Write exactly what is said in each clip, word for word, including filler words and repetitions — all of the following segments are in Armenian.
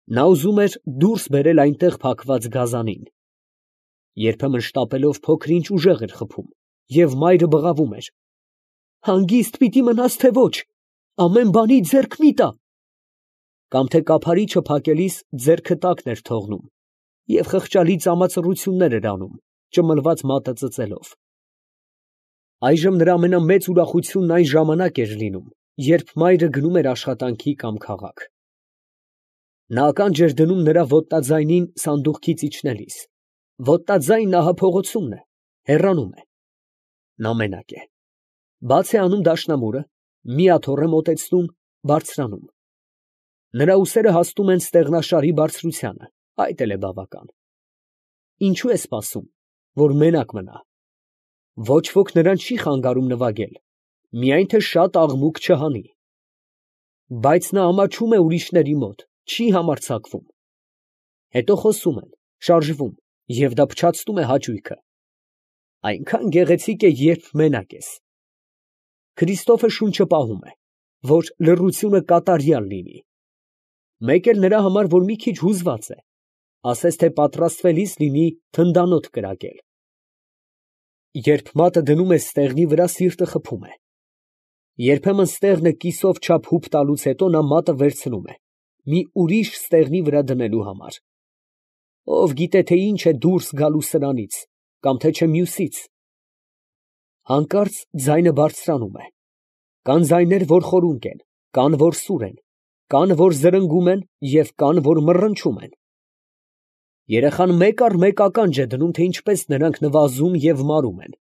Նա ուզում էր դուրս բերել այնտեղ փակված գազանին. երբեմն շտապելով փոքր֊ինչ ուժեղ էր խփում, և մայրը բղավում էր. «Հանգիստ պիտի մնաս, թե ոչ, ամեն բանի ձեռք մի տա»։ Կամ թե կափարիչը փակելիս ձեռքը տակն էր թողնում և խղճալի ծամածռություններ էր անում, ճմլված մատը ծծելով։ Այժմ նրա ամենամեծ ուրախությունն այն ժամանակ էր լինում, երբ մայրը գնում էր աշխատանքի կամ քաղաք։ Նա ականջ էր դնում նրա ոտնաձայնին սանդուղքից իջնելիս. ոտնաձայնն ահա փողոցումն է, հեռանում է։ Նա մենակ է։ Բաց է անում դաշնամուրը, մի աթոռ է մոտեցնում, բարձրանում։ Նրա ուսերը հասնում են ստեղնաշարի բարձրությանը, այդ էլ է բավական։ Ինչո՞ւ է սպասում, որ մենակ մնա։ Ոչ ոք նրան չի խանգարում նվագել, միայն թե շատ աղմուկ չհանի։ Բայց նա ամաչում է ուրիշների մոտ, չի համարձակվում։ Հետո խոսում են, շարժվում, և դա փչացնում է հաճույքը։ Այնքան գեղեցիկ է, երբ մենակ ես։ Քրիստոֆը շունչը պահում է, որ լռությունը կատարյալ լինի։ Մեկ էլ նրա համար, որ մի քիչ հուզված է, ասես թե պատրաստվելիս լինի թնդանոթ կրակել։ Երբ մատը դնում է ստեղնի վրա, սիրտը խփում է։ Երբեմն ստեղնը կիսով չափ հուպ տալուց հետո նա մատը վերցնում է, մի ուրիշ ստեղնի վրա դնելու համար։ Ով գիտե, թե ինչ է դուրս գալու սրանից, կամ թե չէ մյուսից։ Հանկարծ ձայնը բարձրանում է։ Կան ձայներ, որ խորունկ են, կան, որ սուր են, կան, որ զրնգում են, և կան, որ մռնչում են։ Երեխան մեկ առ մեկ ականջ է դնում, թե ինչպես նրանք նվազում և մարում են։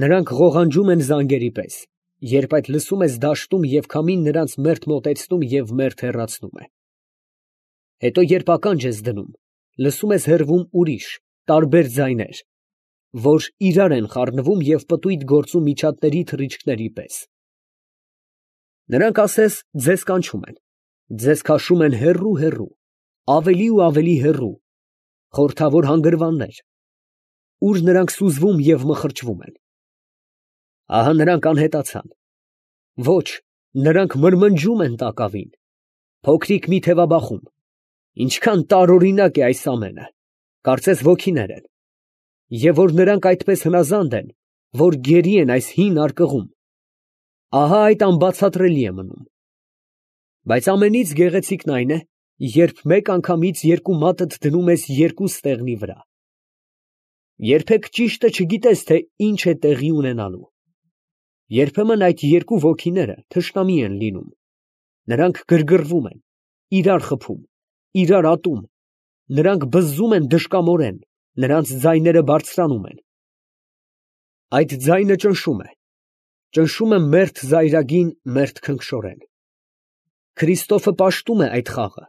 Նրանք ղողանջում են զանգերի պես, երբ այդ լսում ես դաշտում և քամին նրանց մերթ մոտեցնում և մերթ հեռացնում է։ Հետո երբ ականջ ես դնում, լսում ես հեռվում ուրիշ, տարբեր ձայներ, որ իրար են խառնվում և պտույտ գործում միջատների թռիչքների պես։ Նրանք ասես ձեզ կանչում են, ձեզ քաշում են հեռու֊հեռու, ավելի ու ավելի հեռու, խորհրդավոր հանգրվաններ, ուր նրանք սուզվում և մխրճվում են։ Ահա նրանք անհետացան։ Ոչ, նրանք մրմնջում են տակավին, փոքրիկ մի թևաբախում։ Ինչքան տարօրինակ է այս ամենը, կարծես ոգիներ են։ Եվ որ նրանք այդպես հնազանդ են, որ գերի են այս հին արկղում, ահա այդ անբացատրելի է մնում։ Բայց ամենից գեղեցիկն այն է, երբ մեկ անգամից երկու մատդ դնում ես երկու ստեղնի վրա։ Երբեք ճիշտը չգիտես, թե ինչ է տեղի ունենալու։ Երբեմն այդ երկու ոգիները թշնամի են լինում։ Նրանք գրգռվում են, իրար խփում, իրար ատում, նրանք բզզում են դժկամորեն, նրանց ձայները բարձրանում են։ Այդ ձայնը ճնշում է, ճնշում է մերթ զայրագին, մերթ քնքշորեն։ Քրիստոֆը պաշտում է այդ խաղը,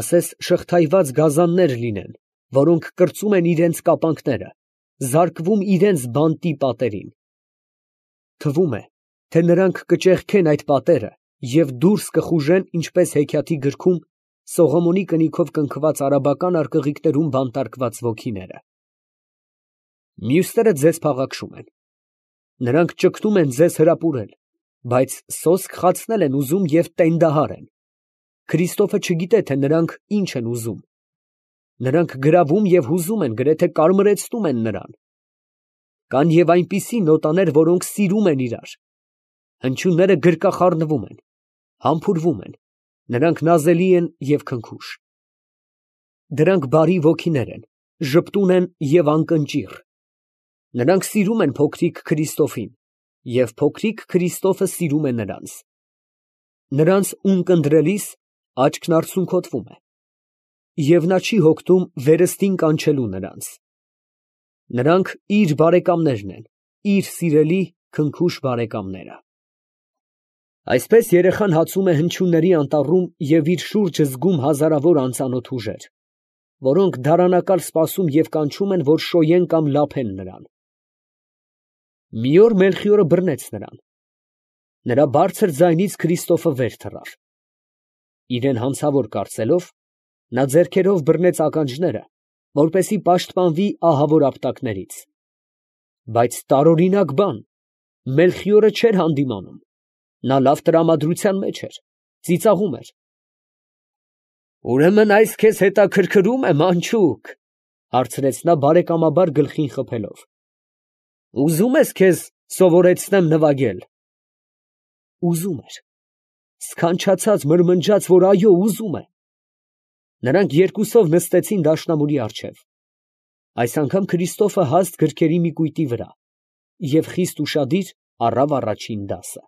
ասես շղթայված գազաններ լինեն, որոնք կրծում են իրենց կապանքները, զարկվում իրենց բանտի պատերին։ Թվում է, թե նրանք կճեղքեն այդ պատերը և դուրս կխուժեն, ինչպես հեքիաթի գրքում Սողոմոնի կնիքով կնքված արաբական արկղիկներում բանտարկված ոգիները։ Մյուսները ձեզ փաղաքշում են։ Նրանք ճգնում են ձեզ հրապուրել, բայց սոսկ խացնել են ուզում և տենդահար են։ Քրիստոֆը չգիտե, թե նրանք ինչ են ուզում։ Նրանք գրավում և հուզում են, գրեթե կարմրեցնում են նրան։ Կան և այնպիսի նոտաներ, որոնք սիրում են իրար։ Հնչյունները գրկախառնվում են, համբուրվում են, նրանք նազելի են և քնքուշ։ Դրանք բարի ոգիներ են, ժպտուն են և անկնճիռ։ Նրանք սիրում են փոքրիկ Քրիստոֆին, և փոքրիկ Քրիստոֆը սիրում է նրանց։ Նրանց ունկնդրելիս աչքն արցունքոտվում է, և նա չի հոգնում վերստին կանչելու նրանց։ Նրանք իր բարեկամներն են, իր սիրելի քնքուշ բարեկամները։ Այսպես երեխան հացում է հնչյունների անտառում և իր շուրջը զգում հազարավոր անծանոթ ուժեր, որոնք դարանակալ սպասում և կանչում են, որ շոյեն կամ լափեն նրան։ Մի օր Մելխիորը բռնեց նրան։ Նրա բարձր ձայնից Քրիստոֆը վեր թռավ։ Իրան հանցավոր կարծելով, նա ձեռքերով բռնեց ականջները, որպեսզի պաշտպանվի ահավոր ապտակներից։ Բայց տարօրինակ բան, Մելխիորը չէր հանդիմանում։ Նա լավ տրամադրության մեջ էր, ծիծաղում էր։ Ուրեմն այս քեզ հետաքրքրում է, մանչուկ, հարցրեց նա բարեկամաբար գլխին խփելով. ուզում ես քեզ սովորեցնեմ նվագել։ Ուզում էր, սքանչացած մրմնջաց, որ այո, ուզում է։ Նրանք երկուսով նստեցին դաշնամուրի առջև։ Այս անգամ Քրիստոֆը հաստ գրքերի մի կույտի վրա և խիստ ուշադիր առավ առաջին դասը։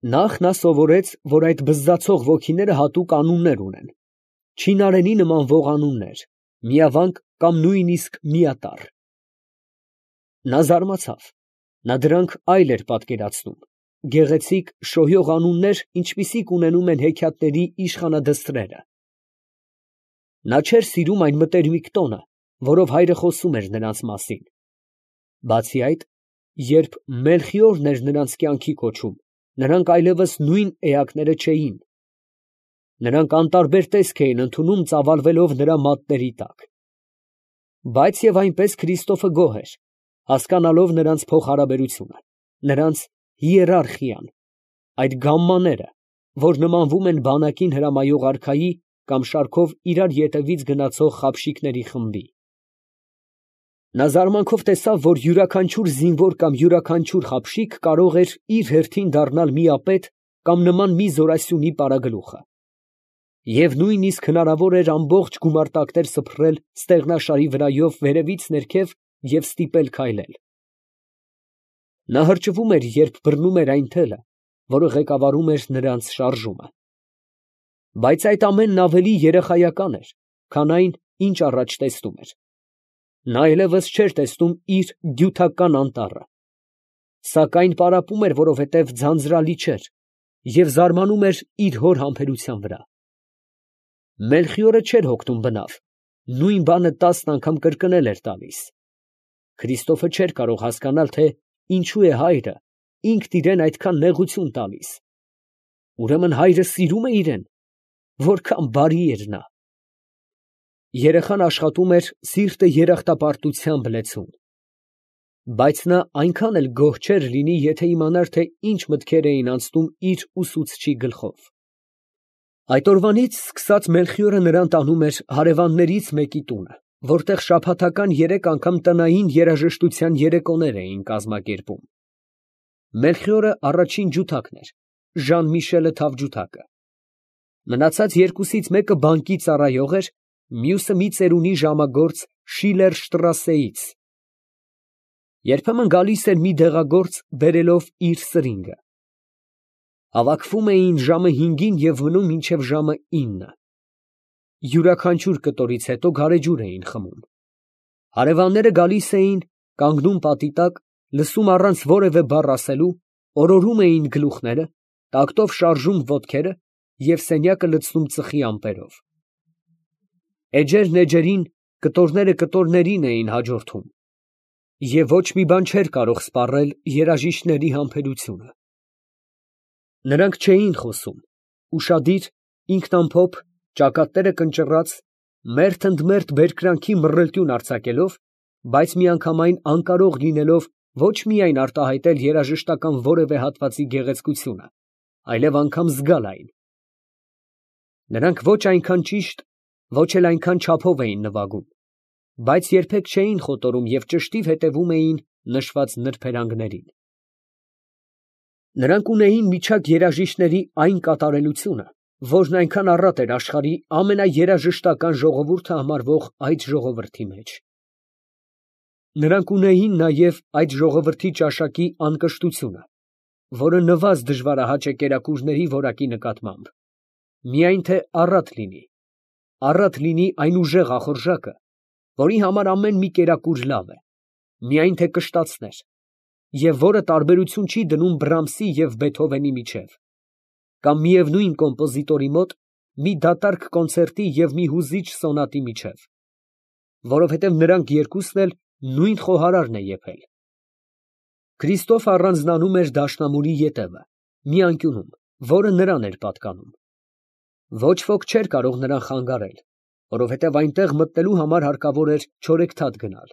Նախ նա սովորեց, որ այդ բզզացող ոգիները հատուկ անուններ ունեն, չինարենի նմանվող անուններ, միավանք կամ նույնիսկ միատառ։ Նա զարմացավ, նա դրանք այլ էր պատկերացնում, գեղեցիկ շոյող անուններ, ինչպիսիք ունենում են հեքիաթների իշխանադստրերը։ Նա չէր սիրում այն մտերմիկ տոնը, որով հայրը խոսում էր նրանց մասին։ Բացի այդ, երբ Մելխիորն էր նրանց կյանքի կոչում, նրանք այլևս նույն էակները չէին։ Նրանք անտարբեր տեսք էին ընդունում, ծավալվելով նրա մատների տակ։ Բայց և այնպես Քրիստոֆը գոհ էր, հասկանալով նրանց փոխհարաբերությունը, նրանց հիերարխիան, այդ գամմաները, որ նմանվում են բանակին հրամայող արքայի կամ շարքով իրար ետևից գնացող խաբշիկների խմբի։ Նա զարմանքով տեսավ, որ յուրաքանչյուր զինվոր կամ յուրաքանչյուր խաբշիկ կարող էր իր հերթին դառնալ միապետ կամ նման մի զորասյունի պարագլուխը։ Եվ նույնիսկ հնարավոր էր ամբողջ գումարտակներ սփռել ստեղնաշարի վրայով վերևից ներքև և ստիպել քայլել։ Նա հրճվում էր, երբ բռնում էր այն թելը, որը ղեկավարում էր նրանց շարժումը։ Բայց այդ ամենն ավելի երեխայական էր, քան այն, ինչ առաջ տեսնում էր։ Նա այլևս չէր տեսնում իր դյութական անտառը, սակայն պարապում էր, որովհետև ձանձրալի չէր, և զարմանում էր իր հոր համբերության վրա։ Մելխիորը չէր հոգնում բնավ, նույն բանը տասն անգամ կրկնել էր տալիս։ Քրիստոֆը չէր կարող հասկանալ, թե ինչու է հայրը ինքն իրան այդքան նեղություն տալիս։ Ուրեմն հայրը սիրում է իրան, որքան բարի էր նա։ Երեխան աշխատում էր սիրտը երախտապարտությամբ լեցուն։ Բայց նա այնքան էլ գոհ չէր լինի, եթե իմանար, թե ինչ մտքեր էին անցնում իր ուսուցչի գլխով։ Այդ օրվանից սկսած Մելխիորը նրան տանում էր հարևաններից մեկի տունը, որտեղ շաբաթական երեք անգամ տնային երաժշտության երեկոներ էին կազմակերպում։ Մելխիորը առաջին ջութակն էր, Ժան֊Միշելը թավջութակը։ Մնացած երկուսից մեկը բանկի ծառայող էր, մյուսը մի ծերունի ժամագործ Շիլերշտրասեից։ Երբեմն գալիս էր մի դեղագործ բերելով իր սրինգը։ Հավաքվում էին ժամը հինգին և մնում մինչև ժամը ինը։ Յուրաքանչյուր կտորից հետո գարեջուր էին խմում։ Հարևանները գալիս էին, կանգնում պատի տակ, լսում առանց որևէ բառ ասելու, օրորում էին գլուխները, տակտով շարժում ոտքերը և սենյակը լցնում ծխի ամպերով։ Էջերն էջերին, կտորները կտորներին էին հաջորդում, և ոչ մի բան չէր կարող սպառել երաժիշտների համբերությունը։ Նրանք չէին խոսում, ուշադիր, ինքնամփոփ, ճակատները կնճռած, մերթ ընդ մերթ բերկրանքի մռլտյուն արձակելով, բայց միանգամայն անկարող լինելով ոչ միայն արտահայտել երաժշտական որևէ հատվածի գեղեցկությունը, այլև անգամ զգալ այն։ Նրանք ոչ այնքան ճիշտ, ոչ էլ այնքան չափով էին նվագում, բայց երբեք չէին խոտորում և ճշտիվ հետևում էին նշված նրբերանգներին։ Նրանք ունեին միջակ երաժիշտների այն կատարելությունը, որն այնքան առատ էր աշխարհի ամենաերաժշտական ժողովուրդը համարվող այդ ժողովրդի մեջ։ Նրանք ունեին նաև այդ ժողովրդի ճաշակի անկշտությունը, որը նվազ դժվարահաճ է կերակուրների որակի նկատմամբ, միայն թե առատ լինի, առատ լինի այն ուժեղ ախորժակը, որի համար ամեն մի կերակուր լավ է, միայն թե կշտացներ, և որը տարբերություն չի դնում Բրամսի և Բեթհովենի միջև, կամ միևնույն կոմպոզիտորի մոտ մի դատարկ կոնցերտի և մի հուզիչ սոնատի միջև, որովհետև նրանք երկուսն էլ նույն խոհարարն է եփել։ Քրիստոֆը առանձնանում էր դաշնամուրի ետևը, մի անկյունում, որը նրան էր պատկանում։ Ոչ ոք չէր կարող նրան խանգարել, որովհետև այնտեղ մտնելու համար հարկավոր էր չորեքթաթ գնալ։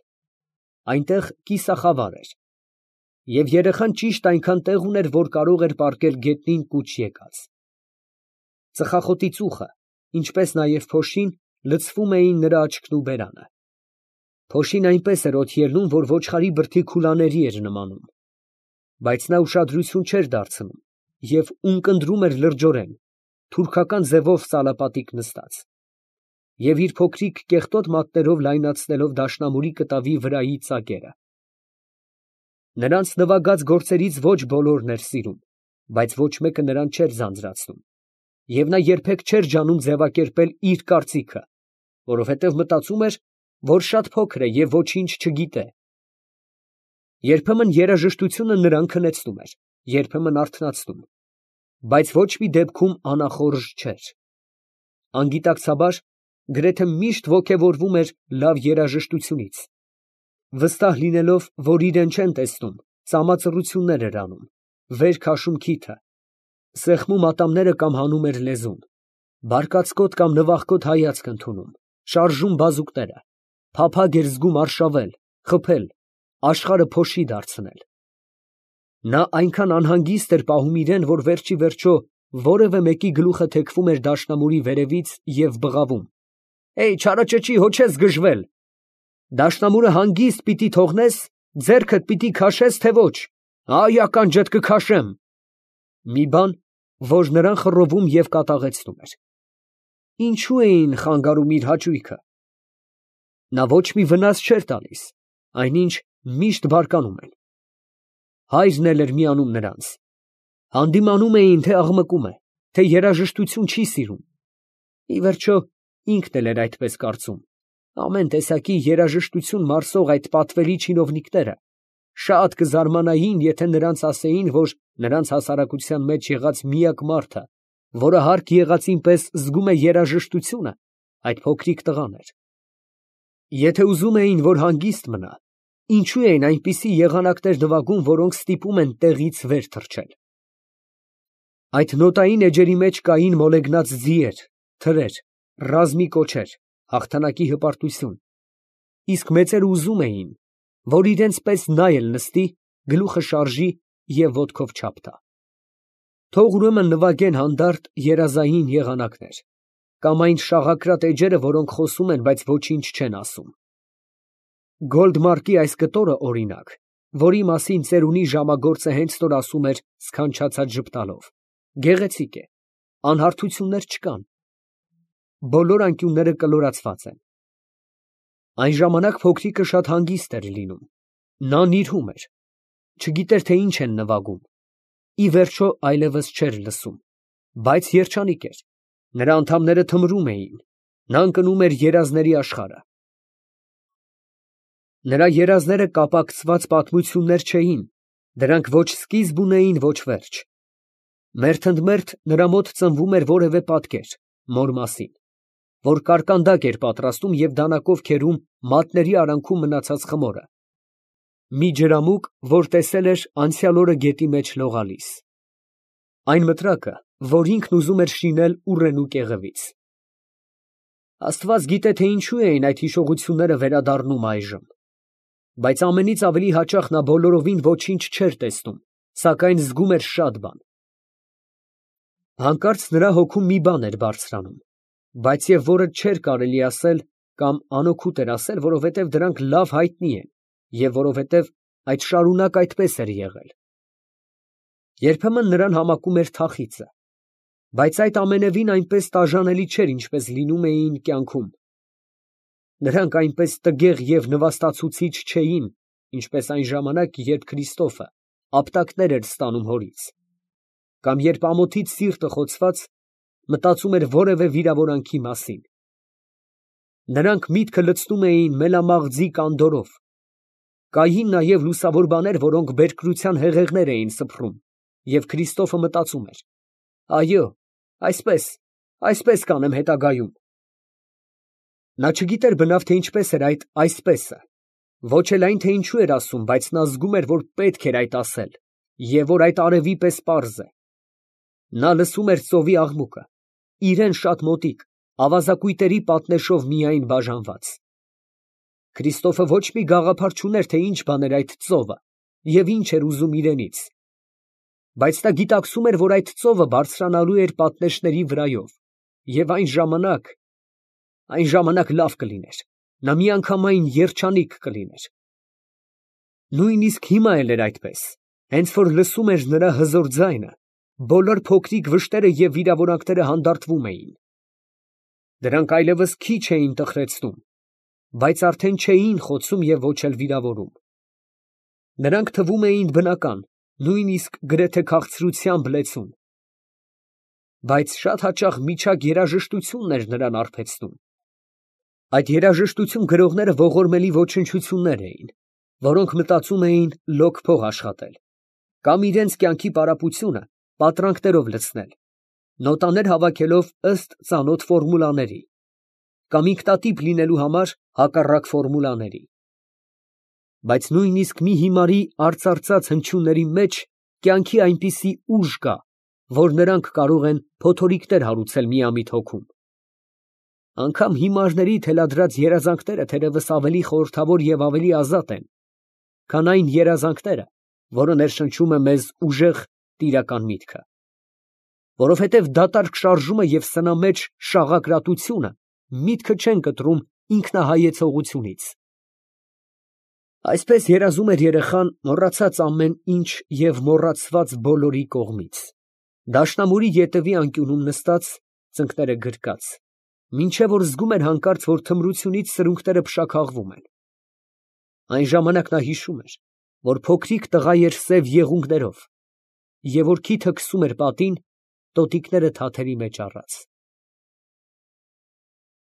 Այնտեղ կիսախավար էր, և երեխան ճիշտ այնքան տեղ ուներ, որ կարող էր պառկել գետնին կուչ եկած։ Ծխախոտի ծուխը, ինչպես նաև փոշին, լցվում էին նրա աչքն ու բերանը։ Փոշին այնպես էր օդ ելնում, որ ոչխարի բրդի քուլաների էր նմանում, բայց նա ուշադրություն չէր դարձնում և ունկնդրում էր լրջորեն, թուրքական ձևով սալապատիկ նստած, և իր փոքրիկ կեղտոտ մատներով լայնացնելով դաշնամուրի կտավի վրայի ծակերը։ Նրանց նվագած գործերից ոչ բոլորն էր սիրում, բայց ոչ մեկը նրան չէր ձանձրացնում, և նա երբեք չէր ջանում ձևակերպել իր կարծիքը, որովհետև մտածում էր, որ շատ փոքր է և ոչինչ չգիտե։ Երբեմն երաժշտությունը նրան քնեցնում էր, երբեմն արթնացնում, բայց ոչ մի դեպքում անախորժ չէր։ Անգիտակցաբար գրեթե միշտ ոգևորվում էր լավ երաժշտությունից, վստահ լինելով, որ իրեն չեն տեսնում, ծամածռություններ էր անում, վեր քաշում քիթը, սեղմում ատամները կամ հանում էր լեզուն, բարկացկոտ կամ նվախկոտ հայացք ընդունում, շարժում բազուկները, փափագ էր զգում արշավել, խփել, աշխարհը փոշի դարձնել։ Նա այնքան անհանգիստ էր պահում իրան, որ վերջ ի վերջո որևէ մեկի գլուխը թեքվում էր դաշնամուրի վերևից և բղավում. «Է՜յ, չարաճճի, հո չես գժվել. դաշնամուրը հանգիստ պիտի թողնես, ձեռքդ պիտի քաշես, թե ոչ. այ ականջդ կքաշեմ», մի բան, որ նրան խռովում և կատաղեցնում էր։ Ինչո՞ւ էին խանգարում իր հաճույքը։ Նա ոչ մի վնաս չէր տալիս, այնինչ միշտ բարկանում են։ Հայրն էլ էր միանում նրանց։ Հանդիմանում էին, թե աղմկում է, թե երաժշտություն չի սիրում։ Ի վերջո, ինքն էլ էր այդպես կարծում։ Ամեն տեսակի երաժշտություն մարսող այդ պատվելի չինովնիկները շատ կզարմանային, եթե նրանց ասեին, որ նրանց հասարակության մեջ եղած միակ մարդը, որը հարկ եղածին պես զգում է երաժշտությունը, այդ փոքրիկ տղան էր։ Եթե ուզում էին, որ հանգիստ մնա, ինչո՞ւ էին այնպիսի եղանակներ նվագում, որոնք ստիպում են տեղից վեր թռչել։ Այդ նոտային էջերի մեջ կային մոլեգնած ձիեր, թրեր, ռազմի կոչեր, հաղթանակի հպարտություն, իսկ մեծերը ուզում էին, որ իրենց պես նա էլ նստի, գլուխը շարժի և ոտքով չափ տա։ Թող ուրեմն նվագեն հանդարտ երազային եղանակներ, կամ այն շաղակրատ էջերը, որոնք խոսում են, բայց ոչինչ չեն ասում։ Գոլդմարկի այս կտորը, օրինակ, որի մասին ծերունի ժամագործը հենց նոր ասում էր սքանչացած ժպտալով, գեղեցիկ է, անհարթություններ չկան։ Բոլոր անկյունները կլորացված են։ Այն ժամանակ փոքրիկը շատ հանգիստ էր լինում, նա նիրհում էր, չգիտեր, թե ինչ են նվագում, ի վերջո այլևս չէր լսում, բայց երջանիկ էր, նրա անդամները թմրում էին, նա ընկնում էր երազների աշխարհը։ Նրա երազները կապակցված պատմություններ չէին, դրանք ոչ սկիզբ ունեին, ոչ վերջ։ Մերթընդմերթ նրա մոտ ծնվում էր որևէ պատկեր, մոր մասին, որ կարկանդակ էր պատրաստում և դանակով քերում մատների արանքում մնացած խմորը, մի ջրամուկ, որ տեսել էր անցյալ օրը գետի մեջ լողալիս, այն մտրակը, որ ինքն ուզում էր շինել ուռենու կեղևից։ Աստված գիտե, թե ինչու էին այդ հիշողությունները վերադառնում այժմ, բայց ամենից ավելի հաճախ նա բոլորովին ոչինչ չէր տեսնում, սակայն զգում էր շատ բան։ Հանկարծ նրա հոգում մի բան էր բարձրանում, բայց և որը չէր կարելի ասել կամ անօգուտ էր ասել, որովհետև դրանք լավ հայտնի են և որովհետև այդ շարունակ այդպես էր եղել։ Երբեմն նրան համակում էր թախիծը, բայց այդ ամենևին այնպես տաժանելի չէր, ինչպես լինում էին կյանքում։ Նրանք այնպես տգեղ և նվաստացուցիչ չէին, ինչպես այն ժամանակ, երբ Քրիստոֆը ապտակներ էր ստանում հորից, կամ երբ ամոթից սիրտը խոցված մտածում էր որևէ վիրավորանքի մասին։ Նրանք միտքը լցնում էին մելամաղձի կանդորով, կային նաև լուսավոր բաներ, որոնք բերկրության հեղեղներ էին սփռում, և Քրիստոֆը մտածում էր. «Այո, այսպես, այսպես կանեմ հետագայում»։ Նա չգիտեր բնավ, թե ինչպես էր այդ «այսպես»֊ը, ոչ էլ այն, թե ինչու էր ասում, բայց նա զգում էր, որ պետք էր այդ ասել, և որ այդ արևի պես պարզ է։ Նա լսում էր ծովի աղմուկը, իրան շատ մոտիկ, ավազակույտերի պատնեշով միայն բաժանված։ Քրիստոֆը ոչ մի գաղափար չուներ, թե ինչ բան էր այդ ծովը և ինչ էր ուզում իրենից, բայց նա գիտակցում էր, որ այդ ծովը բարձրանալու էր պատնեշների վրայով, Եվ այն ժամանակ, այն ժամանակ լավ կլիներ, նա միանգամայն երջանիկ կլիներ։ Նույնիսկ հիմա էլ էր այդպես, հենց որ լսում էր նրա հզոր ձայնը, բոլոր փոքրիկ վշտերը և վիրավորանքները հանդարտվում էին։ Դրանք այլևս քիչ էին տխրեցնում, բայց արդեն չէին խոցում և ոչ էլ վիրավորում։ Նրանք թվում էին բնական, նույնիսկ գրեթե քաղցրությամբ լեցուն։ Բայց շատ հաճախ միջակ երաժշտությունն էր նրան արբեցնում։ Այդ երաժշտություն գրողները ողորմելի ոչնչություններ էին, որոնք մտածում էին լոկ փող աշխատել, կամ իրենց կյանքի պարապությունը պատրանքներով լցնել, նոտաներ հավաքելով ըստ ծանոթ ֆորմուլաների, կամ ինքնատիպ լինելու համար հակառակ ֆորմուլաների։ Բայց նույնիսկ մի հիմարի արծարծած հնչյունների մեջ կյանքի այնպիսի ուժ կա, որ նրանք կարող են փոթորիկներ հարուցել միամիտ հոգում։ Անգամ հիմարների թելադրած երազանքները թերևս ավելի խորհրդավոր և ավելի ազատ են, քան այն երազանքները, որը ներշնչում է մեզ ուժեղ տիրական միտքը, որովհետև դատարկ շարժումը և սնամեջ շաղակրատությունը միտքը չեն կտրում ինքնահայեցողությունից։ Այսպես երազում էր երեխան, մոռացած ամեն ինչ և մոռացված բոլորի կողմից, դաշնամուրի ետևի անկյունում նստած, ծնկները գրկած, մինչև որ զգում էր հանկարծ, որ թմրությունից սրունքները փշաքաղվում են։ Այն ժամանակ նա հիշում էր, որ փոքրիկ տղա էր սև եղունգներով, և որ քիթը քսում էր պատին, տոտիկները թաթերի մեջ առած։